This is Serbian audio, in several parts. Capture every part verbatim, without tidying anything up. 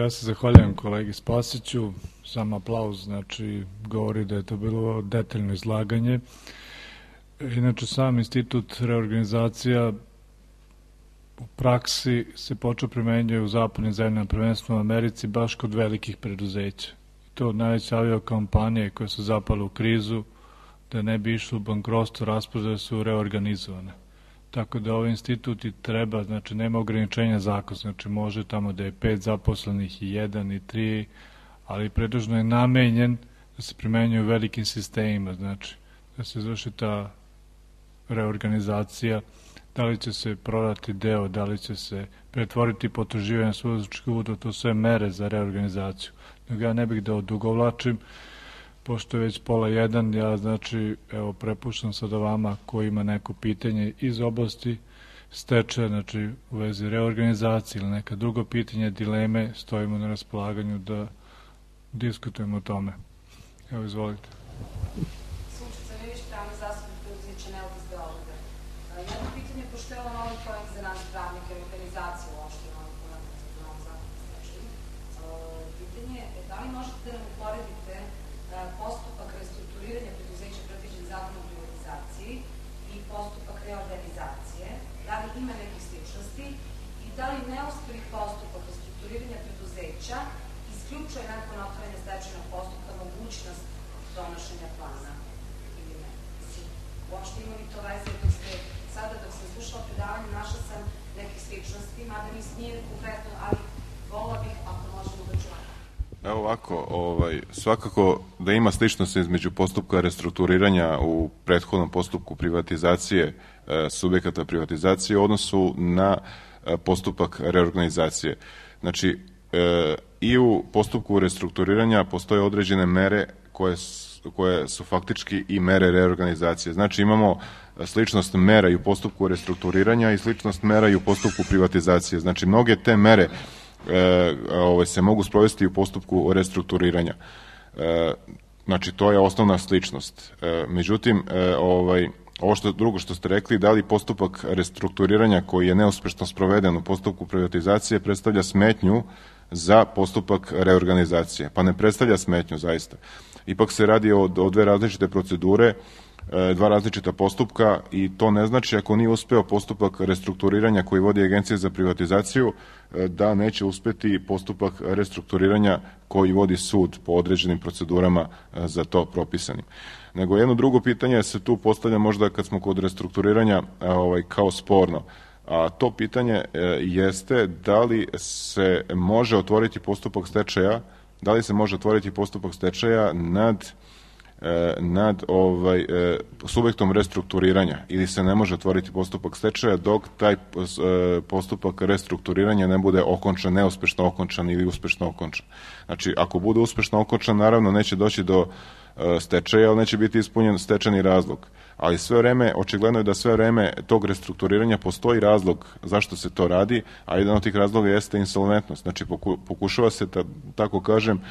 ja se zahvaljujem kolegi Spasiću, sam aplauz, znači govori da je to bilo detaljno izlaganje. Inače, sam institut reorganizacija u praksi se počeo primenjuje u zapadnim zemljama, prvenstveno u Americi, baš kod velikih preduzeća. I to najveće aviokompanije koje su zapale u krizu, da ne bi išlo u bankrotstvo, rasprodaje su reorganizovane. Tako da ovaj institut i treba, znači nema ograničenja zakona, znači može tamo da je pet zaposlenih i jedan i tri, ali predužno je namenjen da se primenjuje u velikim sistemima, znači da se izvrši ta reorganizacija, da li će se prodati deo, da li će se pretvoriti potraživanje sudačkih uvoda, to sve mere za reorganizaciju. Nego ja ne bih da odugovlačim, pošto je već pola jedan, ja znači, evo, prepuštam sada vama ko ima neko pitanje iz oblasti stečaja, znači u vezi reorganizacije ili neka drugo pitanje, dileme, stojimo na raspolaganju da diskutujemo o tome. Evo, izvolite. Sunčica Vivić, pravni zastupnik preduzeća Neovis Beograda. Jedno pitanje, pošto je ovo novi projekt za nas pravnike, organizacije uopšte novi projekt za novom zakonu stečaju. Pitanje je da li možete da nam uporedite postupak restrukturiranja preduzeća predviđen zakonom o privatizaciji i postupak reorganizacije, da li ima nekih sličnosti i da li neuspelih postupak restrukturiranja preduzeća isključuje nakon otvaranja stečajnog postupka mogućnost donošenja plana ili ne. Uopšte ima li to veze dok ste sada, dok sam slušala predavanje, našla sam nekih sličnosti, mada nis nije konkretno, ali volila bih ako možemo da čujemo. Evo ovako, ovaj, svakako da ima sličnosti između postupka restrukturiranja u prethodnom postupku privatizacije e, subjekata privatizacije u odnosu na e, postupak reorganizacije. Znači, e, i u postupku restrukturiranja postoje određene mere koje su, koje su faktički i mere reorganizacije. Znači, imamo sličnost mera i u postupku restrukturiranja i sličnost mera i u postupku privatizacije. Znači, mnoge te mere E, ove, se mogu sprovesti u postupku restrukturiranja. E, znači, to je osnovna sličnost. E, međutim, e, ovaj, ovo što, drugo što ste rekli, da li postupak restrukturiranja koji je neuspešno sproveden u postupku privatizacije predstavlja smetnju za postupak reorganizacije? Pa ne predstavlja smetnju, zaista. Ipak se radi o, o dve različite procedure, dva različita postupka i to ne znači ako nije uspeo postupak restrukturiranja koji vodi Agencija za privatizaciju da neće uspeti postupak restrukturiranja koji vodi sud po određenim procedurama za to propisanim. Nego jedno drugo pitanje se tu postavlja možda kad smo kod restrukturiranja ovaj, kao sporno. A to pitanje jeste da li se može otvoriti postupak stečaja, da li se može otvoriti postupak stečaja nad nad ovaj, subjektom restrukturiranja ili se ne može otvoriti postupak stečaja dok taj postupak restrukturiranja ne bude okončan, neuspešno okončan ili uspešno okončan. Znači, ako bude uspešno okončan, naravno neće doći do stečaja, ali neće biti ispunjen stečajni razlog. Ali sve vreme, očigledno je da sve vreme tog restrukturiranja postoji razlog zašto se to radi, a jedan od tih razloga jeste insolventnost. Znači, pokušava se, da, tako kažem,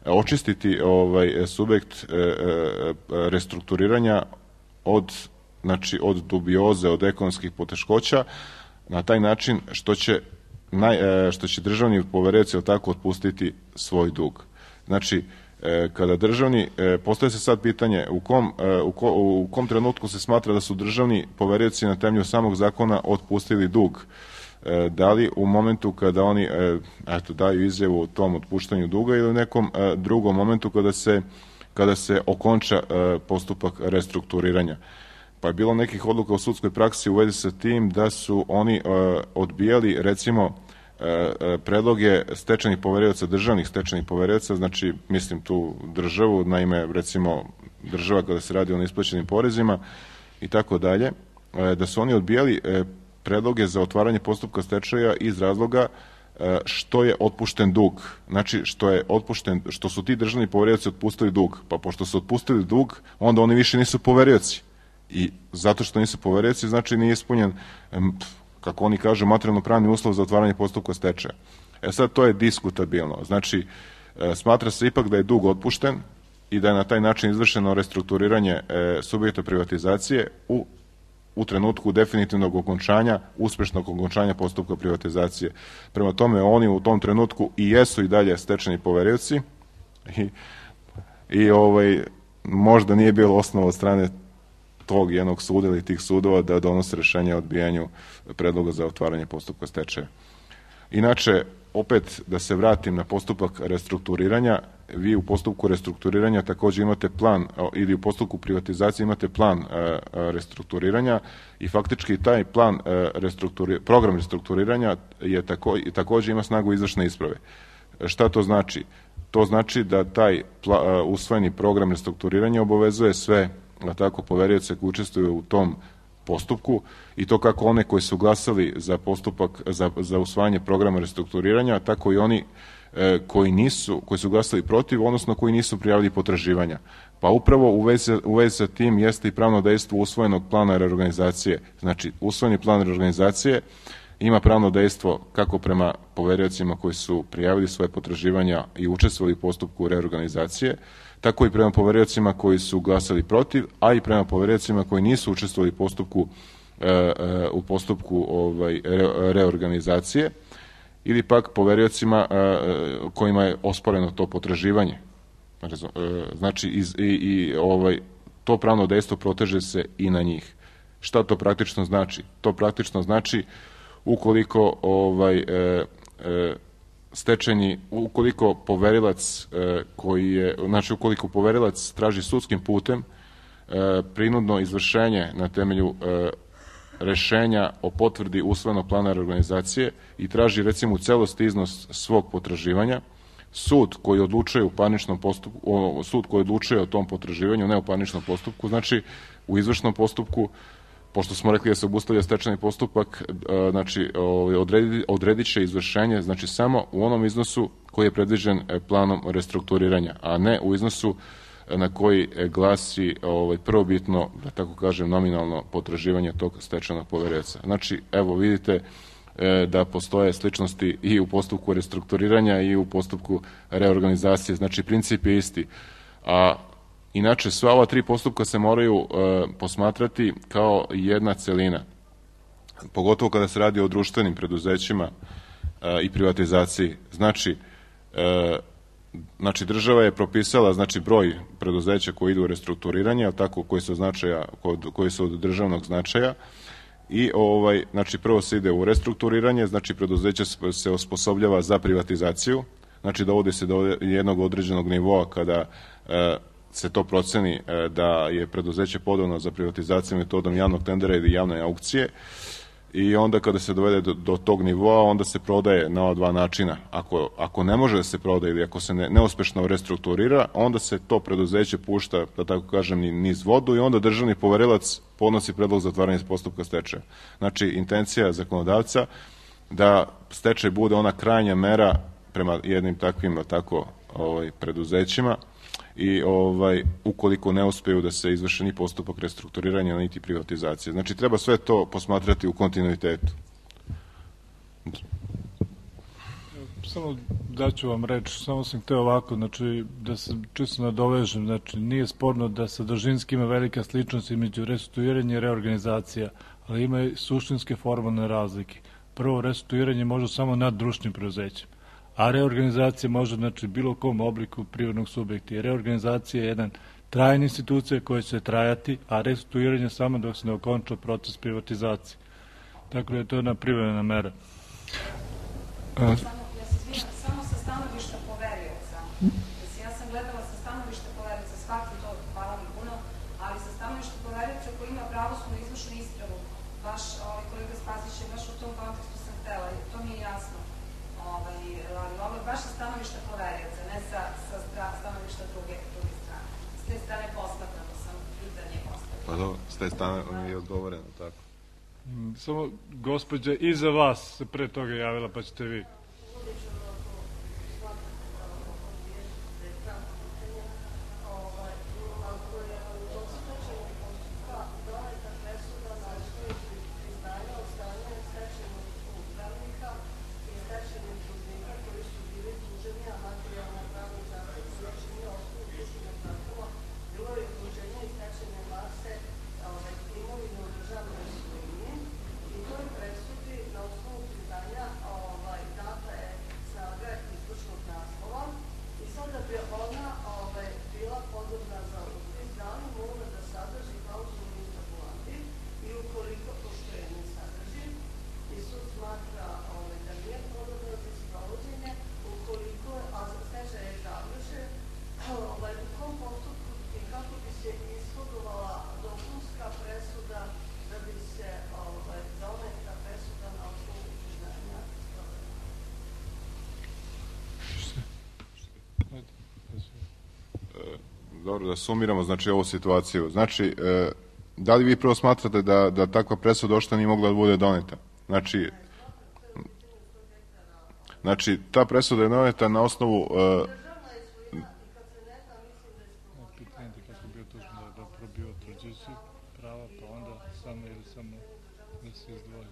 očistiti ovaj subjekt e, e, restrukturiranja od, znači, od dubioze, od ekonomskih poteškoća na taj način što će, naj, e, što će državni poverioci tako otpustiti svoj dug. Znači, e, kada državni, e, postoje se sad pitanje u kom, e, u, ko, u kom trenutku se smatra da su državni poverioci na temelju samog zakona otpustili dug. Da li u momentu kada oni eto, daju izjavu o tom otpuštanju duga ili u nekom drugom momentu kada se, kada se okonča postupak restrukturiranja. Pa je bilo nekih odluka u sudskoj praksi u vezi sa tim da su oni odbijali recimo predloge stečajnih poverioca, državnih stečajnih poverioca, znači mislim tu državu, naime recimo država kada se radi o neisplaćenim porezima i tako dalje, da su oni odbijali predloge za otvaranje postupka stečaja iz razloga što je otpušten dug. Znači, što je otpušten, što su ti državni poverioci otpustili dug. Pa pošto su otpustili dug, onda oni više nisu poverioci. I zato što nisu poverioci, znači nije ispunjen, kako oni kažu, materijalno-pravni uslov za otvaranje postupka stečaja. E sad, to je diskutabilno. Znači, smatra se ipak da je dug otpušten i da je na taj način izvršeno restrukturiranje subjekta privatizacije u u trenutku definitivnog okončanja, uspešnog okončanja postupka privatizacije. Prema tome, oni u tom trenutku i jesu i dalje stečajni poverioci i, i ovaj, možda nije bilo osnova od strane tog jednog suda ili tih sudova da donose rešenje o odbijanju predloga za otvaranje postupka stečaja. Inače, opet da se vratim na postupak restrukturiranja, vi u postupku restrukturiranja takođe imate plan, ili u postupku privatizacije imate plan restrukturiranja i faktički taj plan, program restrukturiranja je tako, takođe ima snagu izvršne isprave. Šta to znači? To znači da taj usvojeni program restrukturiranja obavezuje sve tako poverioce koji učestvuju u tom postupku i to kako one koji su glasali za postupak, za, za usvajanje programa restrukturiranja, tako i oni e, koji nisu, koji su glasali protiv, odnosno koji nisu prijavili potraživanja. Pa upravo u vezi, u vezi sa tim jeste i pravno dejstvo usvojenog plana reorganizacije. Znači, usvojeni plan reorganizacije ima pravno dejstvo kako prema poveriocima koji su prijavili svoje potraživanja i učestvovali u postupku reorganizacije, tako i prema poveriocima koji su glasali protiv, a i prema poveriocima koji nisu učestvovali u postupku, u postupku ovaj, reorganizacije, ili pak poveriocima kojima je osporeno to potraživanje. Znači, i, i ovaj, to pravno dejstvo proteže se i na njih. Šta to praktično znači? To praktično znači ukoliko ovaj, e, e, stečajni, ukoliko poverilac e, koji je, znači ukoliko poverilac traži sudskim putem e, prinudno izvršenje na temelju e, rešenja o potvrdi usvojenog plana reorganizacije i traži recimo u celosti iznos svog potraživanja, sud koji odlučuje u parničnom postupku, o, sud koji odlučuje o tom potraživanju, ne u parničnom postupku, znači u izvršnom postupku, pošto smo rekli da se obustavlja stečajni postupak, znači odredi, odredit će izvršenje, znači samo u onom iznosu koji je predviđen planom restrukturiranja, a ne u iznosu na koji glasi ovaj, prvobitno, da tako kažem, nominalno potraživanje tog stečajnog poverioca. Znači, evo vidite da postoje sličnosti i u postupku restrukturiranja i u postupku reorganizacije, znači princip je isti. A inače, sva ova tri postupka se moraju e, posmatrati kao jedna celina, pogotovo kada se radi o društvenim preduzećima e, i privatizaciji. Znači, e, znači, država je propisala znači, broj preduzeća koji idu u restrukturiranje, tako, koji su, značaja, koji su od državnog značaja, i ovaj, znači, prvo se ide u restrukturiranje, znači preduzeće se osposobljava za privatizaciju, znači dovodi se do jednog određenog nivoa kada e, se to proceni da je preduzeće podano za privatizaciju metodom javnog tendera ili javne aukcije i onda kada se dovede do, do tog nivoa, onda se prodaje na ova dva načina. Ako, ako ne može da se prodaje ili ako se ne, neuspešno restrukturira, onda se to preduzeće pušta, da tako kažem, niz vodu i onda državni poverilac podnosi predlog za otvaranje postupka stečaja. Znači, intencija zakonodavca da stečaj bude ona krajnja mera prema jednim takvim tako, ovaj, preduzećima, i ovaj, ukoliko ne uspeju da se izvrši ni postupak restrukturiranja, niti privatizacije. Znači, treba sve to posmatrati u kontinuitetu. Samo daću vam reč, samo sam hteo ovako, znači, da se čisto nadovežem, znači, nije sporno da sadržinski ima velika sličnost između restrukturiranja i reorganizacija, ali ima i suštinske formalne razlike. Prvo, restrukturiranje može samo nad društvenim preduzećem, a reorganizacija može, znači, bilo kom obliku privrednog subjekta. I reorganizacija je jedan trajna institucija koja će trajati, a restrukturiranje samo dok se ne okonča proces privatizacije. Tako da je to jedna privremena mera. Samo, ja se izvinjam, samo sa stanovišta poverioca. Ja sam gledala sa stanovišta poverioca, shvatim to, hvala mi puno, ali sa stanovišta poverioca koji ima pravosudnu izvršnu ispravu, baš ovaj, kolega Spasić je baš u tom kontekstu sam htela, to mi je jasno. Ovaj, ali ovo je baš sa stanovišta poverioca, ne sa, sa stanovišta druge, druge strane. S te strane posmatrano sam pitanje postavljeno. Pa dobro, s te strane mi je odgovoreno, tako. Samo gospođa iza vas se pre toga javila, pa ćete vi. Dobro, da sumiramo znači ovu situaciju. Znači, e, da li vi prvo smatrate da, da takva presuda uopšte nije mogla da bude doneta? Znači, znači ta presuda je doneta na osnovu... E, pitanje je kako bio tužno da je probio tvrđujući prava, pa onda samo ili samo da se izdvoji.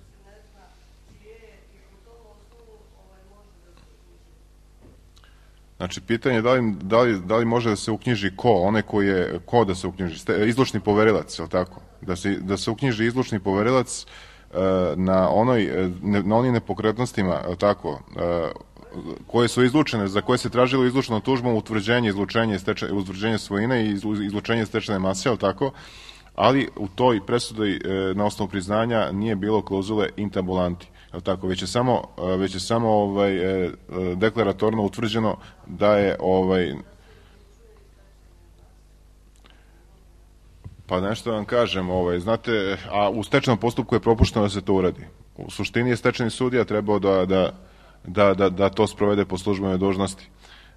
Znači, pitanje je da li, da, li, da li može da se uknjiži ko, onaj koji je, ko da se uknjiži, izlučni poverilac, je li tako? Da se, da se uknjiži izlučni poverilac uh, na, onoj, na onim nepokretnostima, je li tako, uh, koje su izlučene, za koje se tražilo izlučnom tužbom utvrđenje, izlučenje, steče, utvrđenje svojine i izlučenje stečene mase, je li tako? Ali u toj presudi uh, na osnovu priznanja nije bilo klauzule intabulanti. Tako, već je samo, već je samo ovaj, deklaratorno utvrđeno da je ovaj, pa nešto vam kažem, ovaj, znate, a u stečajnom postupku je propušteno da se to uradi. U suštini je stečajni sudija trebao da, da, da, da, da to sprovede po službenoj dužnosti.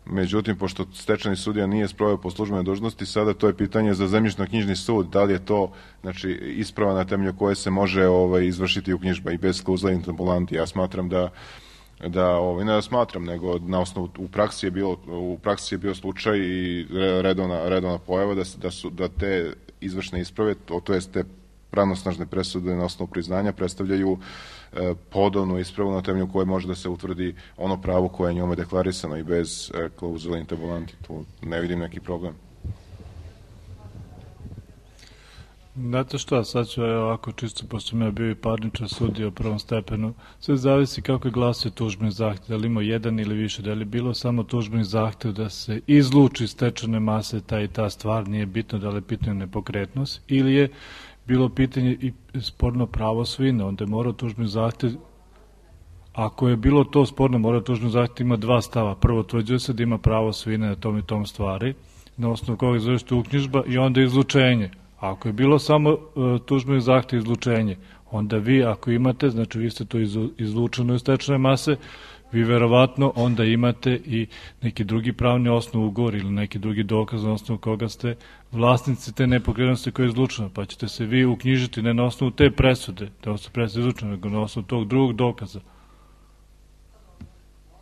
Međutim, pošto stečajni sudija nije sproveo po službenoj dužnosti, sada to je pitanje za zemljišno-knjižni sud, da li je to znači, isprava na temelju koje se može ovaj, izvršiti uknjižba i bez klauzule intabulanti. Ja smatram da, da ovaj, ne da smatram, nego na osnovu, u praksi je bilo, u praksi je bio slučaj i redovna, redovna pojava da, da, su, da te izvršne isprave, to, to jest te pravnosnažne presude na osnovu priznanja predstavljaju e, podobnu ispravu na temelju koje može da se utvrdi ono pravo koje je njome deklarisano i bez e, klauzule intabulanti. Tu ne vidim neki problem. Znate što, sad ću ovako čisto, pošto sam ja bio i parničar sudija u prvom stepenu, sve zavisi kako je glasio tužbeni zahtev, da li imao jedan ili više, da li bilo samo tužbeni zahtev da se izluči stečene mase ta i ta stvar, nije bitno da li je pitanje nepokretnost, ili je bilo pitanje i sporno pravo svojine, onda je morao tužbeni zahtev, ako je bilo to sporno, mora tužbeni zahtev ima dva stava. Prvo, tvrđuje se da ima pravo svojine na tom i tom stvari, na osnovu koga izvršite uknjižba i onda izlučenje. Ako je bilo samo uh, tužbeni zahtev izlučenje, onda vi ako imate, znači vi ste to izlučeno iz stečene mase, vi verovatno onda imate i neki drugi pravni osnov ugovor ili neki drugi dokaz na osnovu koga ste vlasnici te nepokretnosti koje je izlučeno, pa ćete se vi uknjižiti ne na osnovu te presude, da su presude izlučene, nego na osnovu tog drugog dokaza.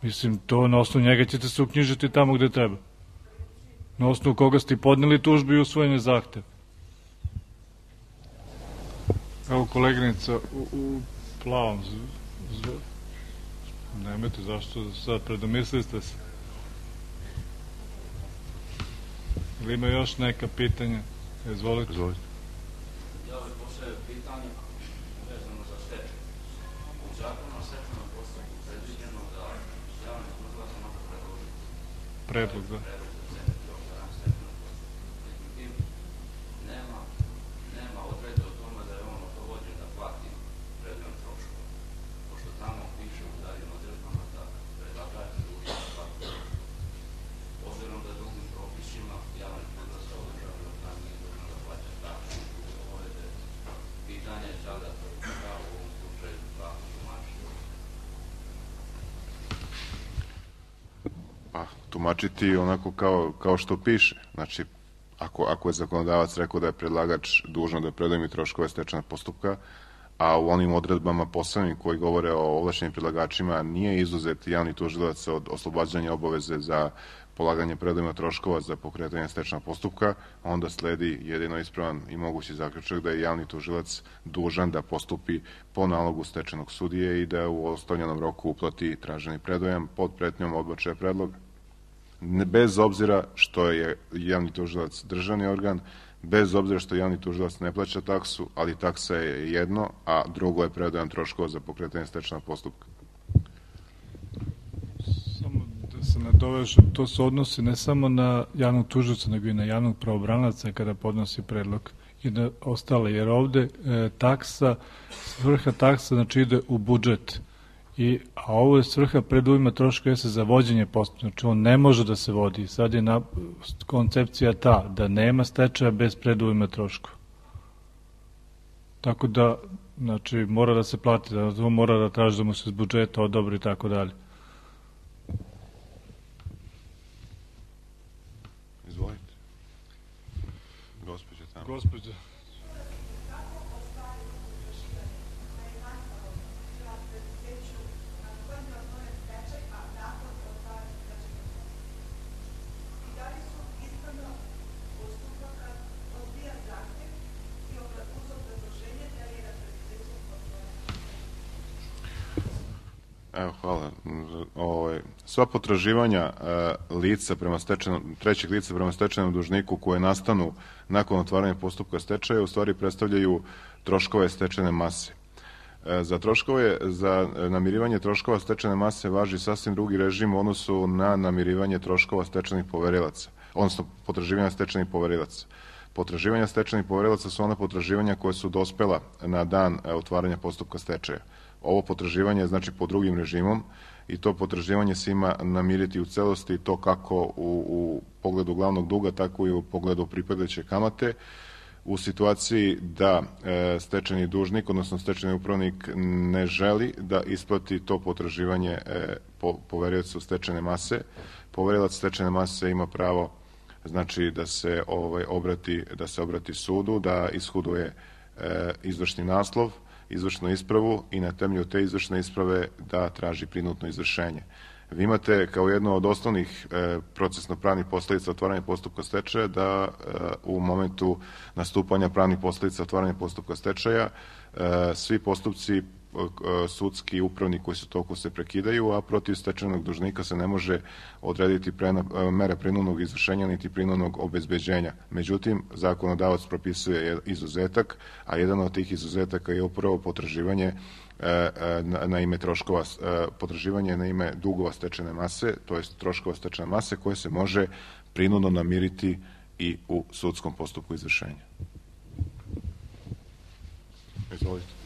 Mislim, to na osnovu njega ćete se uknjižiti tamo gde treba. Na osnovu koga ste podneli tužbu i usvojeni zahtev. Evo koleginica u, u plavom z, z, nemojte, zašto sad predomislili ste se? Ili ima još neka pitanja? Izvolite. Izvolite. Ja bih postavio pitanje vezano za stečaj. U zakonu o stečajnom postupku predviđeno da javni tužilac može predložiti predlog, da. predlog za zemlju o stečajnom postupku. Međutim, nema, nema odredbe o tome da je on oslobođen da plati predmet troškova. Pošto tamo piše u daljim odredbama da predlagač je dužan da plati troškova. Obzirom da drugim propisima javni tužilac kao državni organ nije dužan da plaća taksu obaveze, pitanje je sada da u ovom slučaju kako tumačiti. Pa, tumačiti onako kao, kao što piše. Znači, ako, ako je zakonodavac rekao da je predlagač dužan da predujmi troškove stečajnog postupka, a u onim odredbama posebnim koji govore o ovlašćenim predlagačima nije izuzet javni tužilac od oslobađanja obaveze za polaganje predujma troškova za pokretanje stečajnog postupka, onda sledi jedino ispravan i mogući zaključak da je javni tužilac dužan da postupi po nalogu stečajnog sudije i da u ostavljenom roku uplati traženi predujam pod pretnjom odbačaja predloga. Bez obzira što je javni tužilac državni organ, bez obzira što javni tužilac ne plaća taksu, ali taksa je jedno, a drugo je predujam troškova za pokretanje stečajnog postupka. Samo da se nadovežem, to se odnosi ne samo na javnog tužioca, nego i na javnog pravobranaca kada podnosi predlog i na ostale, jer ovde e, taksa, svrha taksa znači ide u budžet. I, a ovo je svrha predujma troška jeste za vođenje postupka, znači on ne može da se vodi. Sad je na, koncepcija ta da nema stečaja bez predujma troška. Tako da, znači, mora da se plati, da to mora da traži da mu se iz budžeta odobri i tako dalje. Izvolite. gospođa. Evo, hvala. Ovaj, sva potraživanja e, lica prema stečajnom, trećeg lica prema stečajnom dužniku koje nastanu nakon otvaranja postupka stečaja u stvari predstavljaju troškove stečajne mase. E, za troškove, za namirivanje troškova stečajne mase važi sasvim drugi režim u odnosu na namirivanje troškova stečajnih poverilaca, odnosno potraživanja stečajnih poverilaca. Potraživanja stečajnih poverilaca su ona potraživanja koje su dospela na dan otvaranja postupka stečaja. Ovo potraživanje je znači po drugim režimom i to potraživanje se ima namiriti u celosti, to kako u, u pogledu glavnog duga, tako i u pogledu pripadajuće kamate. U situaciji da e, stečajni dužnik, odnosno stečajni upravnik ne želi da isplati to potraživanje e, po, poveriocu stečajne mase, poverilac stečajne mase ima pravo znači da se ovaj obrati da se obrati sudu, da ishuduje e, izvršni naslov, izvršnu ispravu i na temelju te izvršne isprave da traži prinudno izvršenje. Vi imate kao jedno od osnovnih e, procesno-pravnih posledica otvaranja postupka stečaja da e, u momentu nastupanja pravnih posledica otvaranja postupka stečaja e, svi postupci sudski i upravni koji su toliko se prekidaju, a protiv stečajnog dužnika se ne može odrediti prena, mera prinudnog izvršenja niti prinudnog obezbeđenja. Međutim, zakonodavac propisuje izuzetak, a jedan od tih izuzetaka je upravo potraživanje na, na ime troškova, potraživanje na ime dugova stečajne mase, to jest troškova stečajne mase koje se može prinudno namiriti i u sudskom postupku izvršenja. Izvolite.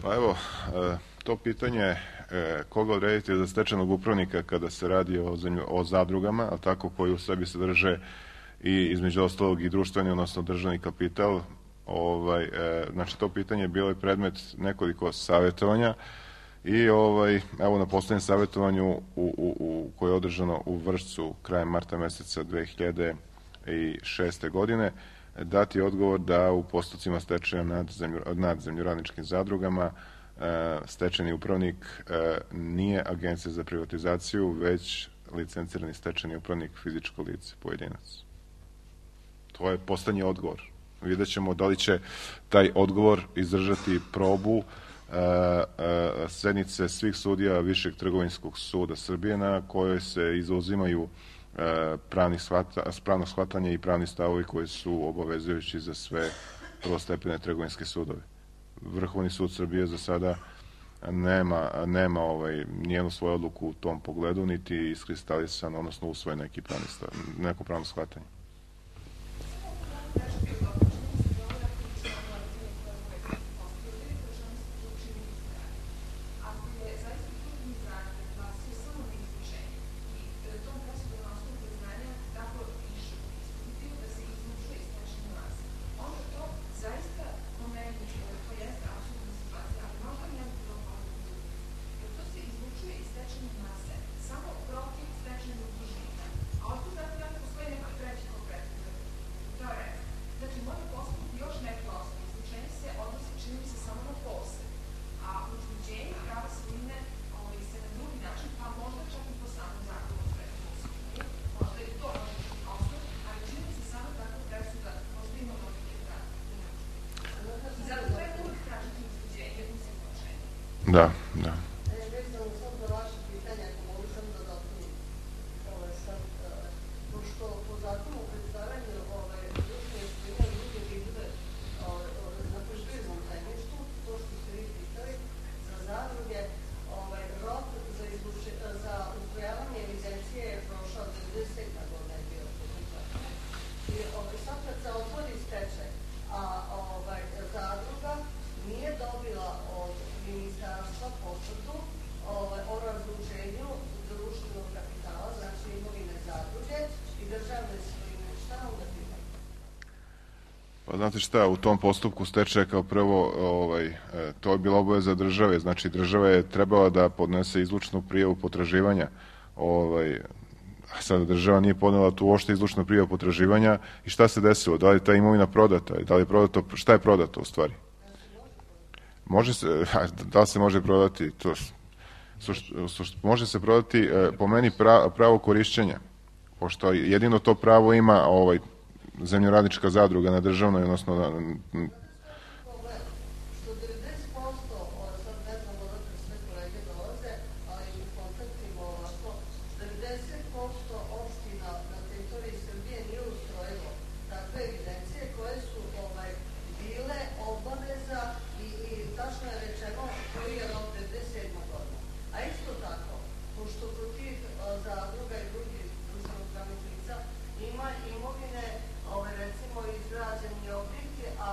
Pa evo, to pitanje koga odrediti za stečajnog upravnika kada se radi o, o zadrugama, a tako koji u sebi sadrže i između ostalog i društveni, odnosno državni kapital, ovaj, znači to pitanje je bilo i predmet nekoliko savjetovanja i ovaj, evo na poslednjem savjetovanju u, u, u, koje je održano u Vršcu krajem marta meseca dve hiljade šeste. godine, dati odgovor da u postupcima stečaja nad, zemlju, nad zemljoradničkim zadrugama e, stečajni upravnik e, nije agencija za privatizaciju, već licencirani stečajni upravnik fizičko lice, pojedinac. To je poslednji odgovor. Vidjet ćemo da li će taj odgovor izdržati probu e, e, sednice svih sudija Višeg trgovinskog suda Srbije na kojoj se izuzimaju pravnih shvata, pravno shvatanje i pravni stavovi koji su obavezujući za sve prvostepene trgovinske sudove. Vrhovni sud Srbije za sada nema, nema ovaj, nijednu svoju odluku u tom pogledu, niti iskristalisan, odnosno usvoje neki pravni stav, neko pravno shvatanje. Da, da. Pa znate šta, u tom postupku stečaja kao prvo, ovaj, to je bila obaveza države, znači država je trebala da podnese izlučnu prijavu potraživanja, ovaj, a sada država nije podnela tu uopšte izlučnu prijavu potraživanja i šta se desilo, da li je ta imovina prodata, da li je prodato, šta je prodato u stvari? Može se, da li se može prodati, to, može se prodati po meni pravo korišćenja, pošto jedino to pravo ima ovaj, zemljoradnička zadruga na državnoj, odnosno na... Što devedeset posto, sad ne znam odakle sve kolege dolaze, ali u kontaktima ovako, devedeset posto opština na teritoriji Srbije nije ustrojilo takve evidencije koje su ovaj, bile obaveza i, i tačno je rečeno koji je rok devedeset sedma godina. A isto tako, pošto kod tih zadruga i drugih društvenog pravnih lica ima imovine recimo izgrađeni objekti, a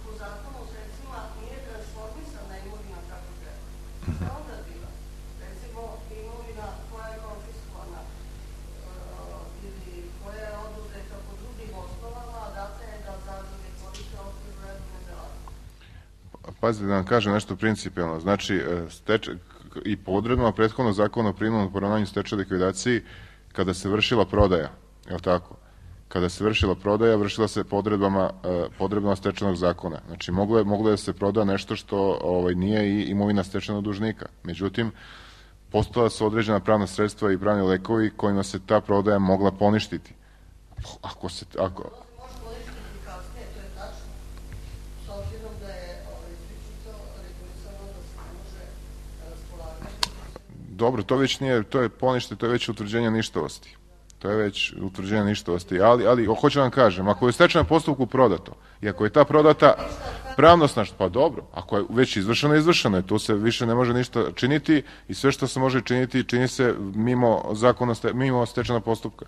po zakonu o sredstvima nije transformisana imovina kako treba. Šta onda bila? Recimo imovina koja je konfiskovana ili koja je oduzeta po drugim osnovama, a data je da zadruge koriste okviru redovne delatnosti. Pazite da vam kažem nešto principijalno. Znači, i po odredbama prethodnog zakona o prinudnom poravnanju stečaja likvidaciji, kada se vršila prodaja, je li tako? Kada se vršila prodaja, vršila se podredbama, podredbama stečajnog zakona. Znači, moglo je, moglo je da se proda nešto što ovaj, nije i imovina stečajnog dužnika. Međutim, postojala su određena pravna sredstva i pravni lekovi kojima se ta prodaja mogla poništiti. Ako se... Ako... Može poništiti kasnije, to je tačno. S obzirom da je izričito regulisano da se ne može raspolagati. Dobro, to već nije, to je ponište, to je već utvrđenje ništavosti. To je već utvrđenje ništavosti, ali, ali hoću vam kažem, ako je u stečajnom postupku prodato i ako je ta prodata pravnosnažna, pa dobro, ako je već izvršeno, izvršeno je, tu se više ne može ništa činiti i sve što se može činiti, čini se mimo zakona, mimo stečajnog postupka.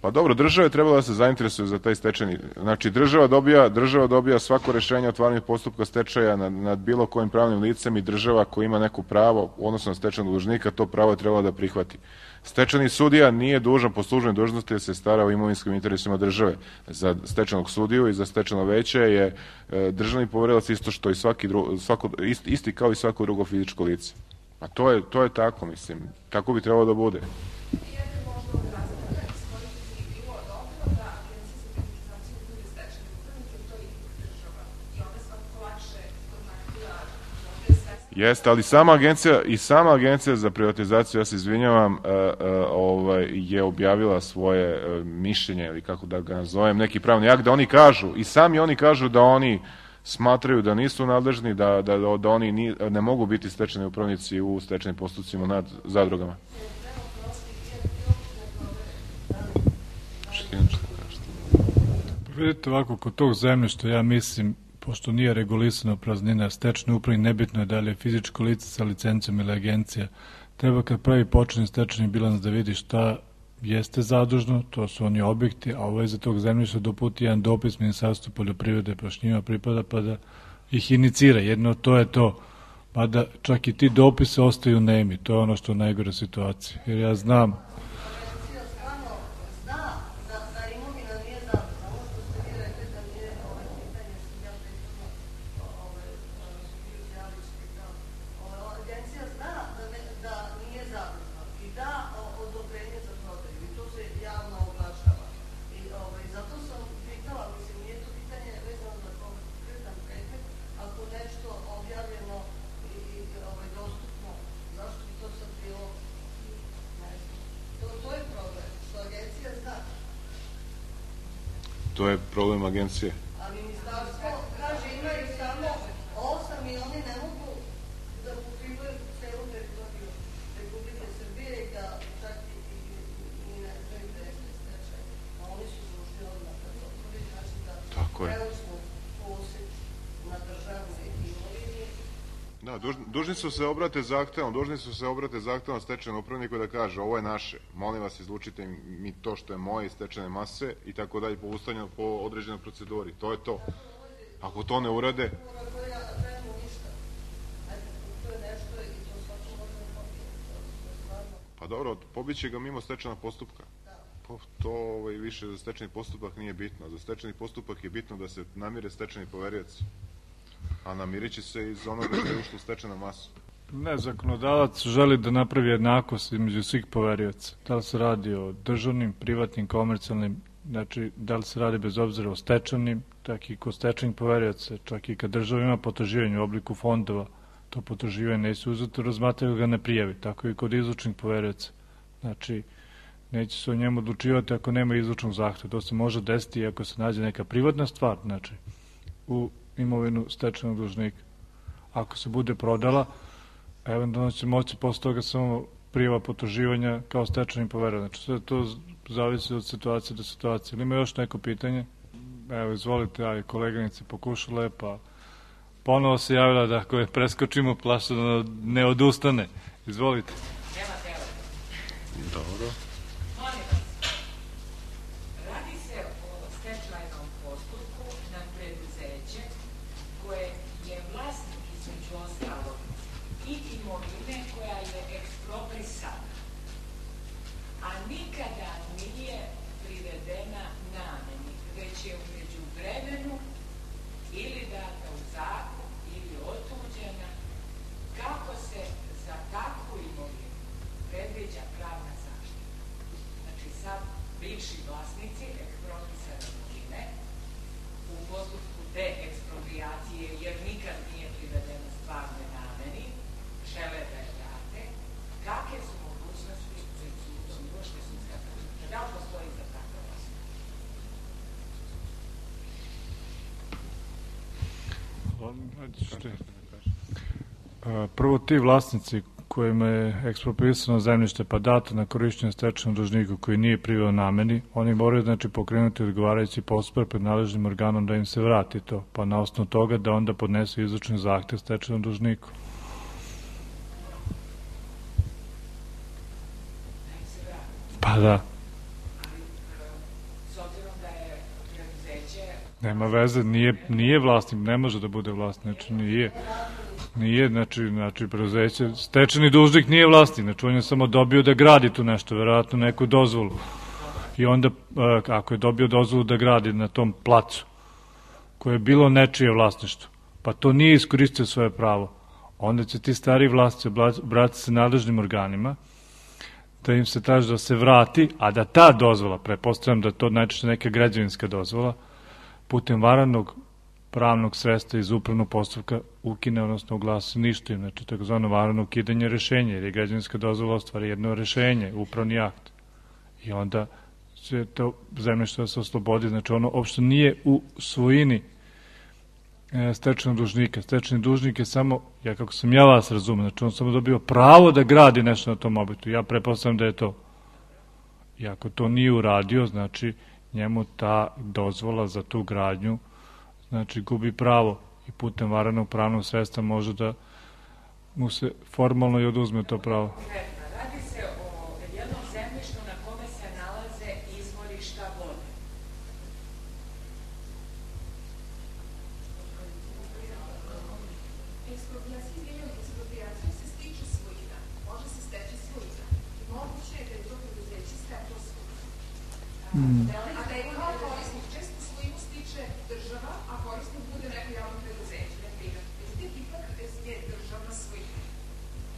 Pa dobro, država je trebala da se zainteresuje za taj stečajni. Znači, država dobija, država dobija svako rešenje o otvaranju postupka stečaja nad, nad bilo kojim pravnim licem i država koja ima neko pravo, odnosno na stečajnog dužnika, to pravo je trebala da prihvati. Stečajni sudija nije dužan po službenoj dužnosti da se stara o imovinskim interesima države. Za stečajnog sudiju i za stečajno veće je e, državni poverilac isto što i svaki dru, svako, isti, isti kao i svako drugo fizičko lice. A to je, to je tako, mislim. Tako bi trebalo da bude. Jeste, ali sama agencija i sama agencija za privatizaciju, ja se izvinjavam, e, e, ovaj, je objavila svoje e, mišljenje, ili kako da ga nazovem, neki pravni akt, da oni kažu, i sami oni kažu da oni smatraju da nisu nadležni, da, da, da oni ni, ne mogu biti stečajni upravnici u stečajnim postupcima nad zadrugama. Vidite ovako, kod tog zemljišta, ja mislim, pošto nije regulisano praznina stečajni upravnik, nebitno je da li je fizičko lice sa licencom ili agencija, treba kad pravi početni stečajni bilans da vidi šta jeste zadužno, to su oni objekti, a ovo je za tog zemljišta doputi jedan dopis Ministarstvu poljoprivrede, pa što njima pripada, pa da ih inicira. Jedno to je to, pa da čak i ti dopise ostaju nemi, to je ono što je najgore situacije. Jer ja znam... To je problem agencije. Ali ministarstvo kaže imaju samo osam i oni ne mogu da pokrivaju celu teritoriju Republike Srbije i da čak i, i, i ne znaju da je stečaj. A oni su dužni odmah da to otvori, znači da preuzmu posjed na državnoj imovini. Da, dužni, dužni su se obrate zahtevom, dužni su se obrate zahtevom stečajnom upravniku da kaže ovo je naše, molim vas izlučite mi to što je moje iz stečajne mase i tako dalje po ustavljanju, po određenoj proceduri, to je to. Ako to ne urade... Pa dobro, pobiće ga mimo stečajnog postupka. Pa to ovaj, više za stečajni postupak nije bitno. Za stečajni postupak je bitno da se namire stečajni poverioci. A namirit će se iz onoga što je ušlo u stečajnu masu. Ne, zakonodavac želi da napravi jednakost između svih poverioca. Da li se radi o državnim, privatnim, komercijalnim, znači da li se radi bez obzira o stečajnim, tak i kod stečajnih poverioca, čak i kad država ima potraživanje u obliku fondova, to potraživanje neće uzeto, razmatraju ga ne prijavi, tako i kod izlučnih poverioca. Znači, neće se o njemu odlučivati ako nema izlučnog zahteva. To se može desiti ako se nađe neka privatna stvar, znači, u imovinu stečajnog dužnika. Ako se bude prodala, eventualno će moći posle toga samo prijava potraživanja kao stečajni poverilac. Znači, sve to zavisi od situacije do situacije. Ili ima još neko pitanje? Evo, izvolite, aj, koleganice pokušale, pa ponovo se javila da ako je preskočimo, plaša da ne odustane. Izvolite. Nema tela. Dobro. Molim vas, radi se o stečajnom postupku na preduzeće koje je vlasnik između ostalog i imovine koja je eksproprisana, a nikada nije privedena nameni, već je u međuvremenu ili data u zakup ili otuđena. Kako se za takvu imovinu predviđa pravna zaštita? Znači, sad bivši vlasnici ekspropisane imovine u postupku deeksproprijacije, jer nikad nije privedena stvarne nameni, žele da je vrate. Kakve su mogućnosti pred sudom, uopšte sudska zaštita? Da li postoji za takva vlasnika? Prvo, ti vlasnici kojima je ekspropriisano zemljište pa dato na korišćenje stečajnom dužniku koji nije priveo nameni, oni moraju znači pokrenuti odgovarajući postupak pred nadležnim organom da im se vrati to, pa na osnovu toga da onda podnesu izvršni zahtev stečajnom dužniku. Pa da. S obzirom da je preduzeće Nema veze, nije, nije vlasnik, ne može da bude vlasnik, znači nije. Nije, znači, znači preduzeće, stečajni dužnik nije vlasnik, znači on je samo dobio da gradi tu nešto, verovatno neku dozvolu. I onda, ako je dobio dozvolu da gradi na tom placu, koje je bilo nečije vlasništvo, pa to nije iskoristio svoje pravo, onda će ti stari vlasnici obratiti se nadležnim organima, da im se traži da se vrati, a da ta dozvola, prepostavljam da to najčešće neka građevinska dozvola, putem varanog pravnog sredstva iz upravnog postupka ukine, odnosno uglasi ništa im, znači takozvano varano ukidanje rešenja, jer je građevinska dozvola ostvari jedno rešenje, upravni akt. I onda će to zemljište da se oslobodi, znači ono uopšte nije u svojini stečajnog dužnika. Stečajni dužnik je samo, ja kako sam ja vas razumem, znači on samo dobio pravo da gradi nešto na tom objektu. Ja pretpostavljam da je to. I ako to nije uradio, znači njemu ta dozvola za tu gradnju znači gubi pravo i putem varanog pravnog sredstva može da mu se formalno i oduzme to pravo. radi se o jednom zemljištu na kome se nalaze izvorišta vode. Eksproprijacija se stiče svojina, može se steći svojina. Moguće je da je to preduzeće steklo svojina. A da je kao korisnik često svojinu stiče država, a korisnik bude neko javno preduzeće, ne privat. Međutim, ipak je državna svojina,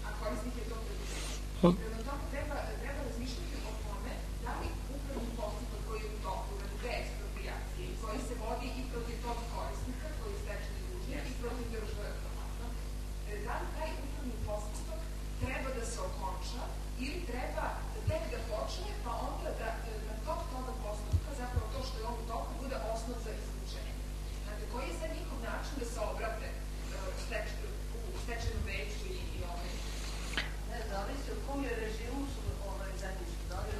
a korisnik je to preduzeće. Prema tome treba, treba razmišljati o tome da li upravni postupak koji je u toku radi deeksproprijacije i koji se vodi i protiv tog korisnika koji je stečajni dužnik i protiv države, da li taj upravni postupak treba da se okonča ili treba tek da počne, pa onda da na tok toga postupka, zapravo to što je on u toku, bude osnov za izlučenje. Znate, koji je sad njihov način da se obrate u stečajnom veću i, i ovaj? Ne, zavisi u kom je režimu su ovaj zemljište. Da li,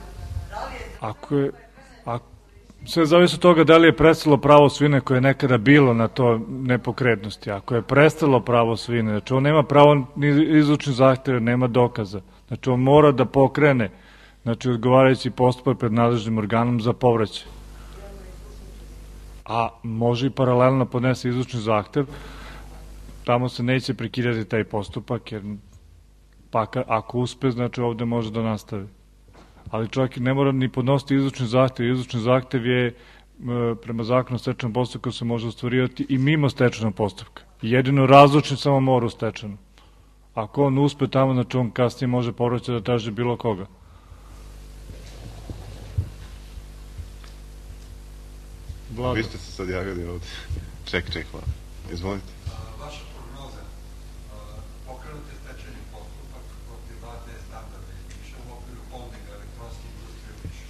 da li je... Ako je, ako, sve zavisi od toga da li je prestalo pravo svine koje je nekada bilo na to nepokretnosti. Ako je prestalo pravo svine, znači on nema pravo ni izlučni zahtev, nema dokaza. Znači on mora da pokrene, znači odgovarajući postupak pred nadležnim organom za povraćaj. A može i paralelno podnese izlučni zahtev, tamo se neće prekidati taj postupak, jer pa ako uspe, znači ovde može da nastavi. ali čovjek ne mora ni podnositi izlučni zahtev. Izlučni zahtev je e, prema zakonu o stečajnom postupku se može ostvarivati i mimo stečajnog postupka. Jedino razlučni samo mora u stečajnom. Ako on uspe tamo, znači on kasnije može povraćati da traži bilo koga. Vlada. Vi ste se sad javili ovdje. Ček, ček, Vlada. Izvolite. Vaša prognoza, pokrenut je stečajni postupak protiv A D standarda više u okviru holdinga elektronske industrije više.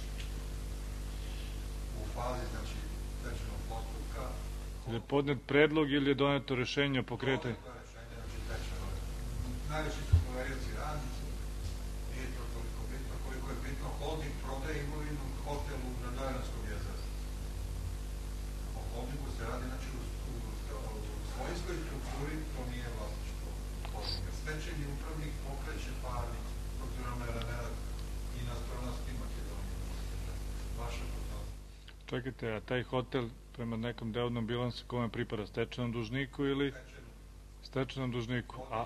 U fazi, znači, stečajnog postupka... Je podnet predlog ili je doneto rešenje o pokretanju? Doneto rešenje, znači, stečajno. Najveći su poverioci radnici, nije to toliko bitno, koliko je bitno, holding prodaje imovinu hotelu na Dojananskom jezeru. O holdingu se radi, znači, u svojinskoj strukturi, to nije vlasništvo holdinga. Stečajni upravnik pokreće parnicu protiv Romera Nerad i nastavnosti Makedonije. Vaša prognoza. Čekajte, a taj hotel prema nekom delovnom bilansu kome pripada, stečajnom dužniku ili stečajnom dužniku? A,